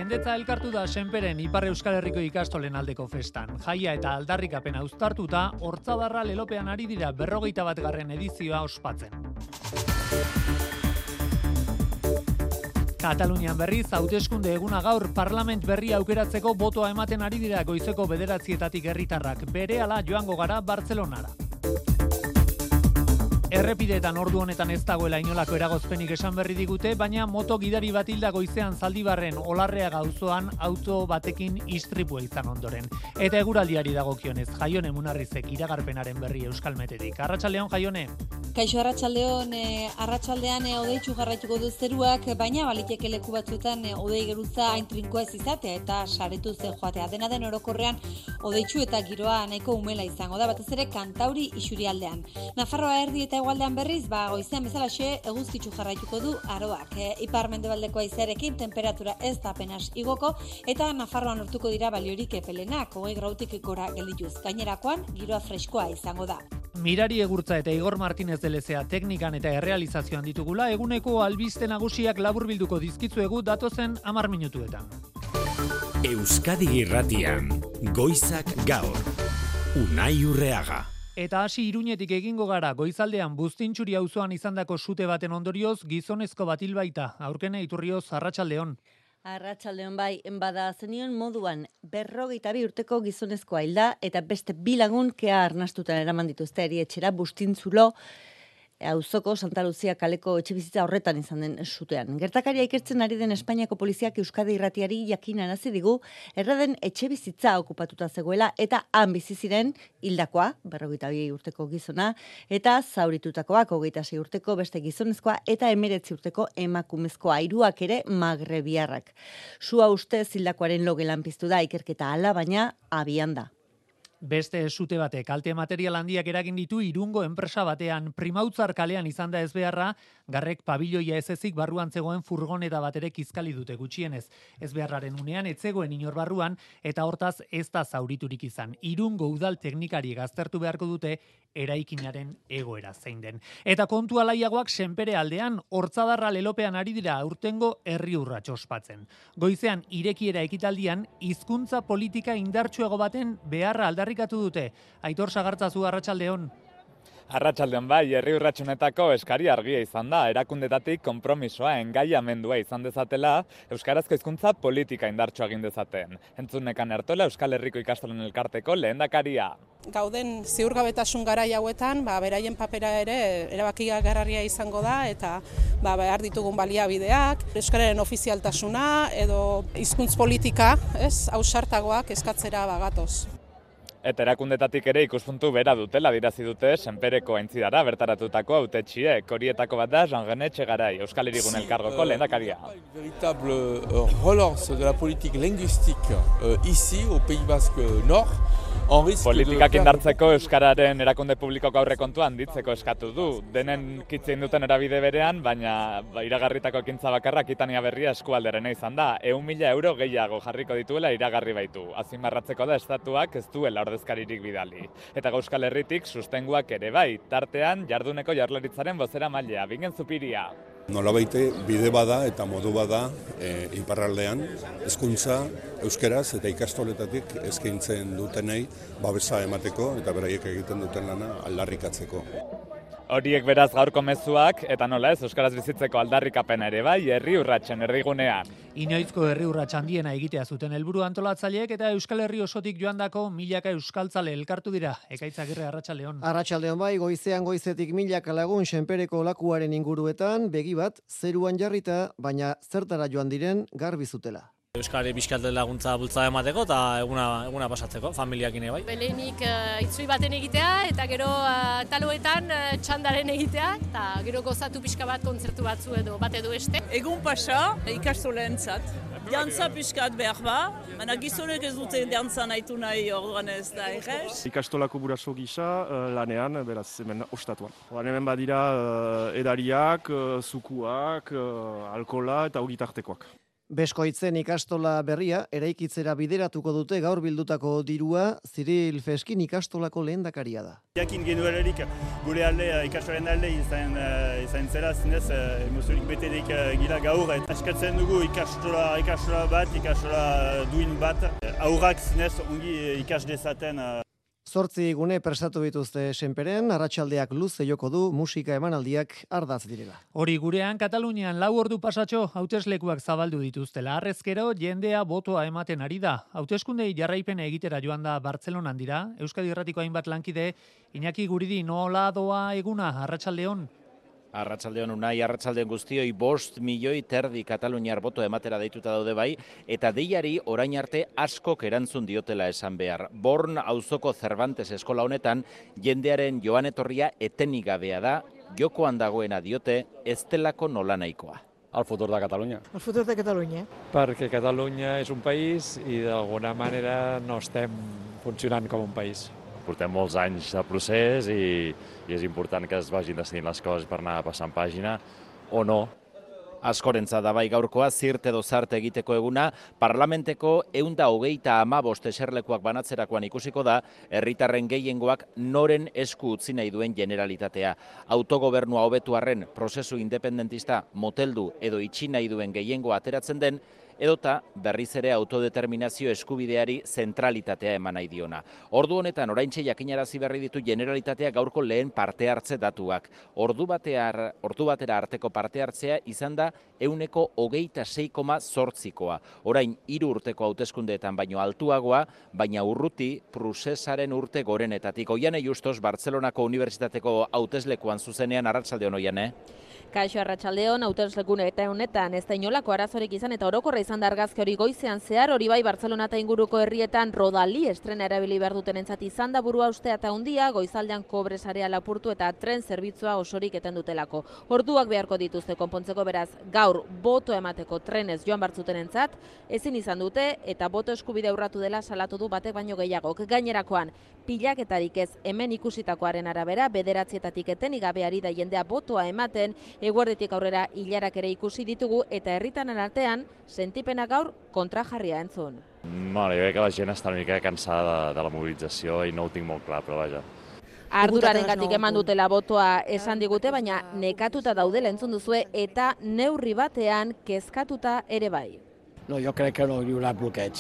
Jendetza elkartu da Senperen Ipar Euskal Herriko ikastolen aldeko festan. Jaia eta aldarrikapena uztartuta, Hortzadarra lelopean ari dira 41. edizioa ospatzen. Katalunian berriz, hauteskunde eguna gaur parlament berria aukeratzeko botoa ematen ari dira goizeko 9:00 herritarrak. Berehala joango gara Bartzelonara. Errepideetan ordu honetan ez dagoela inolako eragozpenik esan berri digute, baina moto gidari bat hilda goizean Zaldibarren Olarreaga auzoan auto batekin istripua izan ondoren. Eta eguraldiari dagokionez, Jaione Munarrizek iragarpenaren berri Euskalmetetik. Arratsaldeon, Jaione. Kaixo arratsaldeon, arratsaldean hodeitsu jarraituko du zeruak, baina baliteke leku batzuetan hodei geruza hain trinkoa ez izatea eta saretu zen joatea. Dena den orokorrean hodeitsu eta giroa nahiko umela izango da, batez ere Kantauri isurialdean. Nafarroa erdi eta hegoaldean berriz, goizean bezalaxe eguzkitsu jarraituko du aroak. Ipar-mendebaldeko haizearekin temperatura ez da apenas igoko eta Nafarroan lortuko dira baliorik epelenak, 20 gradutik gora geldituz. Gainerakoan giroa freskoa izango da. Mirari Egurtza eta Igor Martinez de Lezea teknikan eta errealizazioan ditugula, eguneko albiste nagusiak laburbilduko dizkitzuegu datozen 10 minutuetan. Euskadi Irratian, Goizak Gaur, Unai Urreaga. Eta hasi Iruñetik egingo gara, goizaldean Buztintxuri auzoan izandako sute baten ondorioz gizonezko bat hil baita. Aurkene Iturrioz, arratsaldeon. Arratsaldeon bai, bada zenion moduan 52 urteko gizonezkoa hilda eta beste 2 lagun kea arnastuta eraman dituzte erietxera Bustintzulo auzoko Santa Lucia kaleko etxebizitza horretan izan den sutean. Gertakaria ikertzen ari den Espainiako poliziak Euskadi Irratiari jakinarazi digu erraden etxebizitza okupatuta zegoela eta han bizi ziren hildakoa 52 urteko gizona eta zauritutakoak 26 urteko beste gizonezkoa eta 19 urteko emakumezkoa, hiruak ere magrebiarrak. Sua ustez hildakoaren logelan piztu da ikerketa hala, baina abian da. Beste sute batek kalte material handiak eragin ditu Irungo enpresa batean. Primautzar kalean izan da ezbeharra, Garrek pabiloia ez ezik barruan zegoen furgoneta bat ere kizkali dute gutxienez. Ezbeharraren unean ez zegoen inor barruan eta hortaz ez da zauriturik izan. Irungo udal teknikari aztertu beharko dute eraikinaren egoera zein den. Eta kontu alaiagoak Senpere aldean, Hortzadarra lelopean ari dira aurtengo herri urrats ospatzen. Goizean irekiera ekitaldian hizkuntza politika indartsuago baten beharra aldarrikatu dute. Aitor Sagartzazu, arratsaldeon. Arratsaldeon bai, herri urratsunetako eskari argia izan da, erakundetatik konpromisoa engaiamendua izan dezatela, euskarazko hizkuntza politika indartsua egin dezaten. Entzunekan Ertola Euskal Herriko ikastolen elkarteko lehendakaria. Gauden ziurgabetasun garai hauetan, beraien papera ere erabakigarria izango da eta behar ditugun baliabideak, euskararen ofizialtasuna edo hizkuntz politika, ausartagoak eskatzera gatoz. Eta erakundetatik ere ikuspuntu bera dutela dirazi dute Senpereko aintzidara bertaratutako hautetsiek. Horietako bat da Jean-René Etxegaray, Euskal Hirigun elkargoko lehendakaria. Une véritable relance de la politique linguistique ici au Pays Basque Nord. Politikak indartzeko euskararen erakunde publikoko aurrekontua handitzeko eskatu du. Denen kitzein duten erabide berean, baina iragarritako ekintza bakarra Akitania Berria eskualderena izan da. 100.000 euro gehiago jarriko dituela iragarri baitu. Azpimarratzeko da estatuak ez duela ordezkaririk bidali. Eta Euskal Herritik sustenguak ere bai, tartean jarduneko jaurlaritzaren bozeramailea, Bingen Zupiria. Nolabaite bide bada eta modu bada iparraldean hezkuntza euskeraz eta ikastoletatik eskaintzen dutenei babesa emateko eta beraiek egiten duten lana aldarrikatzeko. Horiek beraz gaurko mezuak eta nola ez euskaraz bizitzeko aldarrikapena ere bai herri urratsen erdigunean. Inoizko herri urrats handiena egitea zuten helburu antolatzaileek eta Euskal Herri osotik joandako milaka euskaltzale elkartu dira. Ekaitz Agirre, arratsaldeon. Arratsaldeon bai, goizetik milaka lagun Senpereko lakuaren inguruetan begi bat zeruan jarrita, baina zertara joan diren garbi zutela. Euskari bizkalte laguntza bultzada emateko eta eguna pasatzeko, familiakin bai. Lehenik itzui baten egitea eta gero taloetan txandaren egitea eta gero gozatu pixka bat kontzertu batzu edo bat edo beste. Egun pasa ikastoleentzat. Dantza pixkat behar ba, baina gizonek ez dute dantza nahitu nahi orduan ez da errez. Ikastolako buraso gisa lanean, beraz hemen ostatuan. Hemen badira edariak, zukuak, alkola eta ogitartekoak. Beskoitzen ikastola berria eraikitzera bideratuko dute gaur bildutako dirua Ziril Feskin ikastolako lehendakaria da. Jakin genuelarik gure alde, ikastolaren alde izan zela, zinez emozionik beterik gila gaur. Eskatzen dugu ikastola bat, ikastola duin bat. Aurrak zinez ongi ikas dezaten. 8 gune prestatu dituzte Senperen, arratsaldeak luze joko du, musika emanaldiak ardaz direla. Hori gurean Katalunian 4 ordu pasatxo hauteslekuak zabaldu dituztela. Harrezkero jendea botoa ematen ari da. Hauteskundei jarraipena egitera joan da Bartzelonan dira. Euskadi Irratiko hainbat lankide, Iñaki Guridi nola doa eguna arratsaldeon. Arratsaldeon Unai, arratsaldeon guztioi 5 milioi terdi kataluniar boto ematera deituta daude bai, eta deiari orain arte askok erantzun diotela esan behar. Born auzoko Cervantes eskola honetan, jendearen joan etorria etenik gabea da, jokoan dagoena diote, ez delako nolanahikoa. El futur de Catalunya. El futur de Catalunya. Perquè Catalunya és un país i d'alguna manera no estem funcionant com un país. Portem molts anys de procés i és important que es vagin decidint les coses per anar passant pàgina o no. Askorentza da bai gaurkoa, zirt edo zarte egiteko eguna, parlamenteko 125 eserlekuak banatzerakoan ikusiko da, herritarren gehiengoak noren esku utzi nahi duen generalitatea. Autogobernua hobetu arren prozesu independentista moteldu edo itxi nahi duen gehiengoa ateratzen den, edota berriz ere autodeterminazio eskubideari zentralitatea eman nahi diona. Ordu honetan oraintxe jakinarazi berri ditu generalitatea gaurko lehen parte hartze datuak. Ordu batera arteko parte hartzea izan da 26,8%. Orain 3 urteko hauteskundeetan baino altuagoa, baina urruti prozesaren urte gorenetatik. Oiane Justos, Bartzelonako Unibertsitateko hauteslekuan zuzenean, arratsaldeon Oiane. Kaixo arratsaldeon, hauteslekun eta honetan ez da inolako arazorik izan eta orokorra izan da argazki hori goizean zehar, hori bai Bartzelona eta inguruko herrietan rodali estrena erabili behar dutenentzat izan da burua ustea eta hundia, goizaldean kobresarea lapurtu eta tren zerbitzua osorik eten dutelako. Orduak beharko dituzte konpontzeko, beraz gaur boto emateko trenez joan bartzutenentzat, ezin izan dute eta boto eskubide urratu dela salatu du batek baino gehiagok. Gainerakoan, pilaketarik ez hemen ikusitakoaren arabera, 9etatik etenik gabeari da jendea botoa ematen, eguerditik aurrera hilarak ere ikusi ditugu eta herritanen artean sentipena gaur kontrajarria entzun. Jo crec que la gent està una mica cansada de la mobilització i no ho tinc molt clar, però vaja. Ardurarengatik eman dutela botoa esan digute, baina nekatuta daudela entzun duzue eta neurri batean kezkatuta ere bai. No, jo crec que no hi haurà bloqueig,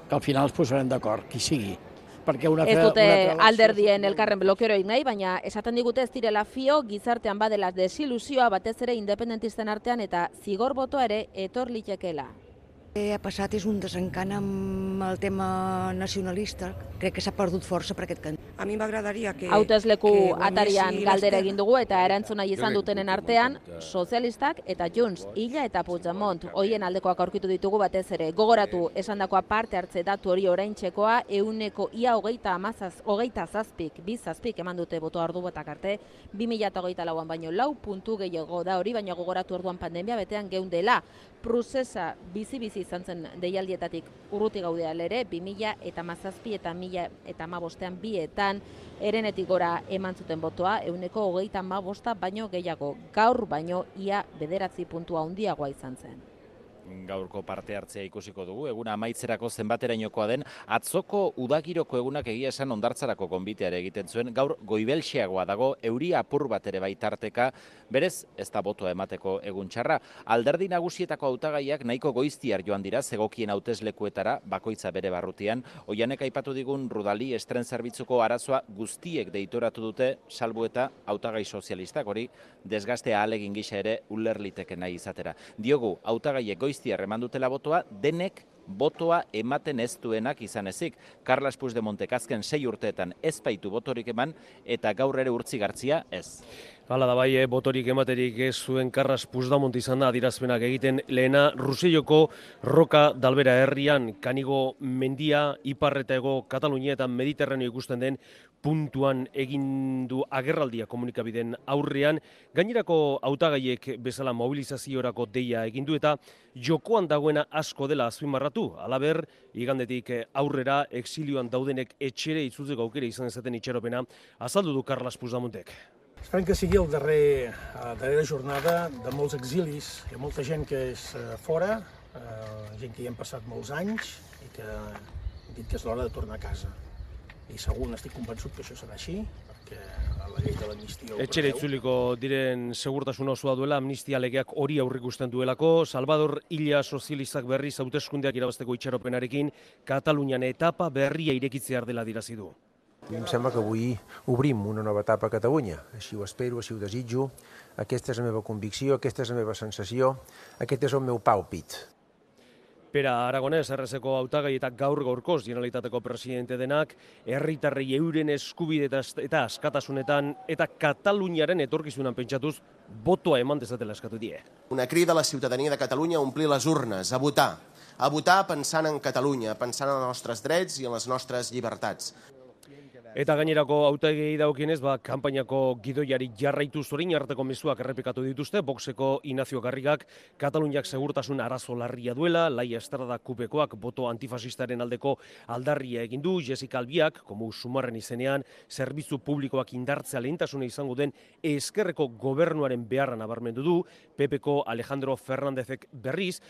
que al final es posarem d'acord, qui sigui. Ez dute alderdien elkarren blokeroik nahi, baina esaten digute ez direla fio, gizartean badela desilusioa batez ere independentisten artean eta zigor botoa ere etor litekeela. Ha passat és un desencant amb el tema nacionalista. Crec que s'ha perdut força per aquest cant. A mi m'agradaria que... Hautesleku atarian galdera egin dugu eta erantzuna izan dutenen artean, sozialistak eta Junts, Illa eta Puigdemont, hoien aldekoak aurkitu ditugu batez ere. Gogoratu esandakoa parte hartze datu hori oraintzekoa, 27 eman dute boto ardu batak arte, 2024an baino 4 puntu gehiago da hori, baina gogoratu orduan pandemia betean geundela. Prozesa bizi-bizi izan zen deialdietatik urruti gaudea ere, 2017 eta 2015 bietan erenetik gora eman zuten botoa, 35 baino gehiago, gaur baino ia 9 puntua handiagoa izan zen. Gaurko parte hartzea ikusiko dugu, eguna amaitzerako zenbaterainokoa den, atzoko udagiroko egunak egia esan hondartzarako gonbiteare egiten zuen, gaur goibelxeagoa dago, euri apur bat ere baitarteka, berez ez da botoa emateko egun txarra. Alderdi nagusietako hautagaiak nahiko goiztiar joan dira, zegokien hauteslekuetara, bakoitza bere barrutian, Oianek aipatu digun Rudali estren zerbitzuko arazoa guztiek deitoratu dute, salbu eta hautagai sozialistak, hori desgaztea ahalegin gisa ere ulerliteke nahi izatera. Diogu, hautagaiek goiztiar eman dutela botoa, denek botoa ematen ez duenak izan ezik. Carles Puigdemontek azken 6 urteetan ez baitu botorik eman eta gaur ere Urtzigartzia ez. Hala da bai, botorik ematerik ez zuen Carles Puigdemont izan da adirazpenak egiten lehena Ruselloko Roka Dalbera herrian, Kanigo mendia, ipar eta hego Katalunia eta Mediterraneo ikusten den puntuan egin du agerraldia komunikabideen aurrean, gainerako hautagaiek bezala mobilizaziorako deia egin du eta jokoan dagoena asko dela azpimarratu. Halaber, igandetik aurrera exilioan daudenek etxere itzultzeko aukera izan ezaten itxaropena azaldu du Carles Puigdemontek. Esperem que sigui darrera jornada de molts exilis. Hi ha molta gent que és fora, gent que hi hem passat molts anys i que hem dit que és l'hora de tornar a casa. I segur, estic convençut que això serà així, perquè la llei de l'amnistia ho Etxera preveu. itzuliko diren segurtasun osoa duela, amnistia legeak hori aurrikusten duelako. Salvador Illa sozialistak berriz hauteskundeak irabazteko itxaropenarekin Katalunian etapa berria irekitzear dela dirazi du. Em sembla que avui obrim una nova etapa a Catalunya. Així ho espero, així ho desitjo. Aquesta és la meva convicció, aquesta és la meva sensació, aquest és el meu pàlpit. Pera Aragonés, errezeko hautagai eta gaur-gaurkoz Generalitateko presidente denak, herritarrei euren eskubide eta askatasunetan eta Kataluniaren etorkizunan pentsatuz botoa eman dezatela eskatu die. Una crida a la ciutadania de Catalunya a omplir les urnes, a votar pensant en Catalunya, pensant en els nostres drets i en les nostres llibertats. Eta gainerako hautagei dagokienez, kanpainako gidoiari jarraitu zorin arteko mezuak errepikatu dituzte, Voxeko Ignacio Garrigak Kataluniak segurtasun arazo larria duela, Laia Estrada kupekoak boto antifasistaren aldeko aldarria egin du, Jessica Albiak, komu sumarren izenean, zerbitzu publikoak indartzea lehentasuna izango den ezkerreko gobernuaren beharra nabarmendu du, PPko Alejandro Fernándezek berriz,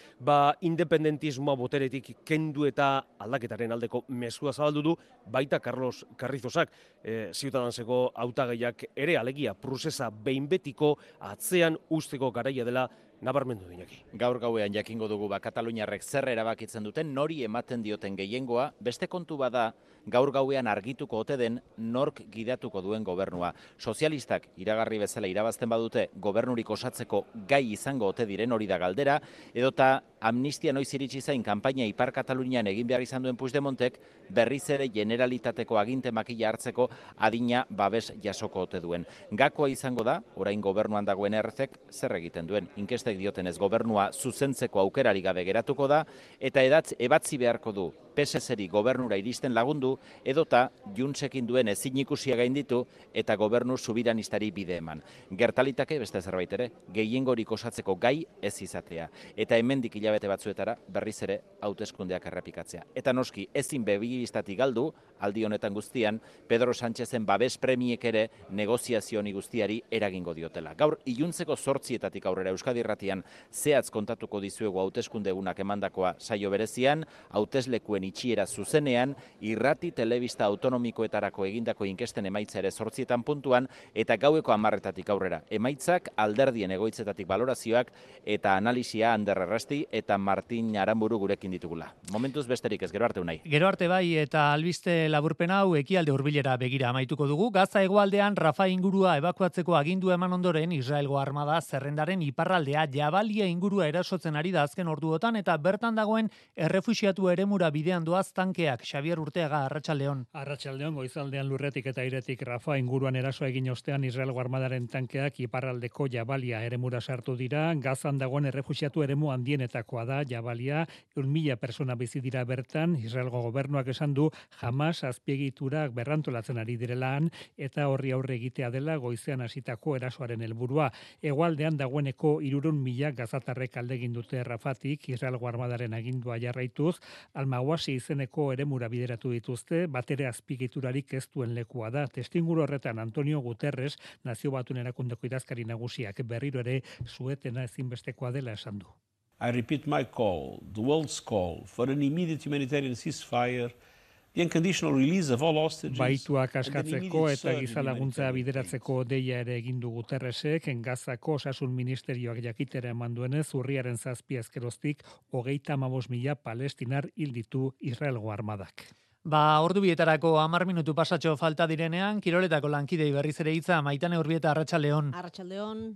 independentismoa boteretik kendu eta aldaketaren aldeko mezua zabaldu du, baita Carlos Carrizos Ciudadanseko hautagaiak ere alegia prozesa behin betiko atzean usteko garaia dela nabarmendu dinaki. Gaur gauean jakingo dugu Kataluniarrek zer erabakitzen duten, nori ematen dioten gehiengoa, beste kontu bada gaur gauean argituko ote den nork gidatuko duen gobernua. Sozialistak iragarri bezala irabazten badute gobernurik osatzeko gai izango ote diren hori da galdera, edota amnistia noiz iritsi zain kanpaina Ipar Katalunian egin behar izan duen Puigdemontek berriz ere Generalitateko aginte makila hartzeko adina babes jasoko ote duen. Gakoa izango da, orain gobernuan dagoen errezek zer egiten duen. Inkestek diotenez gobernua zuzentzeko aukerari gabe geratuko da, eta ebatzi beharko du PSS-eri gobernura iristen lagundu, edota Juntsekin duen ezin ikusia gainditu eta gobernu subiranistari bide eman. Gertalitake beste zerbait ere, gehiengorik osatzeko gai ez izatea. Eta hemendik hilabete batzuetara berriz ere hauteskundeak errepikatzea. Eta noski, ezin begibistatik galdu, aldi honetan guztian, Pedro Sánchezen babes premiek ere negoziazio honi guztiari eragingo diotela. Gaur, iluntzeko 8 aurrera Euskadi Irratian zehatz kontatuko dizuegu hauteskunde egunak emandakoa saio berezian, hauteslekuen itxiera zuzenean, irrati telebista autonomikoetarako egindako inkesten emaitza ere 8 puntuan, eta gaueko 10 aurrera. Emaitzak alderdien egoitzetatik balorazioak eta analisia Ander Errasti eta Martin Aramburu gurekin ditugula. Momentuz besterik ez, gero arte unai. Gero arte bai, eta albiste laburpen hau ekialde hurbilera begira amaituko dugu. Gaza hegoaldean Rafa ingurua ebakuatzeko agindu eman ondoren Israelgo armada zerrendaren iparraldea Jabalia ingurua erasotzen ari da azken orduotan, eta bertan dagoen errefuxiatu eremura bidean doaz tankeak. Xavier Urteaga, Arratsaldeon. Arratsaldeon, goizaldean lurretik eta airetik Rafa inguruan eraso egin ostean Israelgo armadaren tankeak iparraldeko Jabalia eremura sartu dira. Gazan dagoen errefuxiatu eremu handienetakoa da Jabalia, 1.000 persona bizi dira bertan. Israelgo gobernuak esan du Hamas azpiegiturak berrantolatzen ari direlaan eta horri aurre egitea dela goizean hasitako erasoaren helburua. Hegoaldean dagoeneko 300.000 gazatarrek alde egin dute Rafatik Israelgo armadaren agindua jarraituz, Almawasi izeneko eremura bideratu dituzte, batere azpiegiturarik ez duen lekua da. Testinguru horretan Antonio Guterres, Nazio Batuen Erakundeko idazkari nagusiak berriro ere suetena ezinbestekoa dela esan du. I repeat my call, the world's call, for an immediate humanitarian ceasefire, the unconditional release of all hostages. Baituak askatzeko eta gizalaguntza bideratzeko deia ere egin du Guterresek, Gazako osasun ministerioak jakitera eman duenez, urriaren 7 ezkeroztik 35.000 palestinar hil ditu Israelgo armadak. Ordu bietarako 10 minutu pasatxo falta direnean, kiroletako lankidei berriz ere hitza, Maitane Urbieta, Arratsaldeon. Arratsaldeon.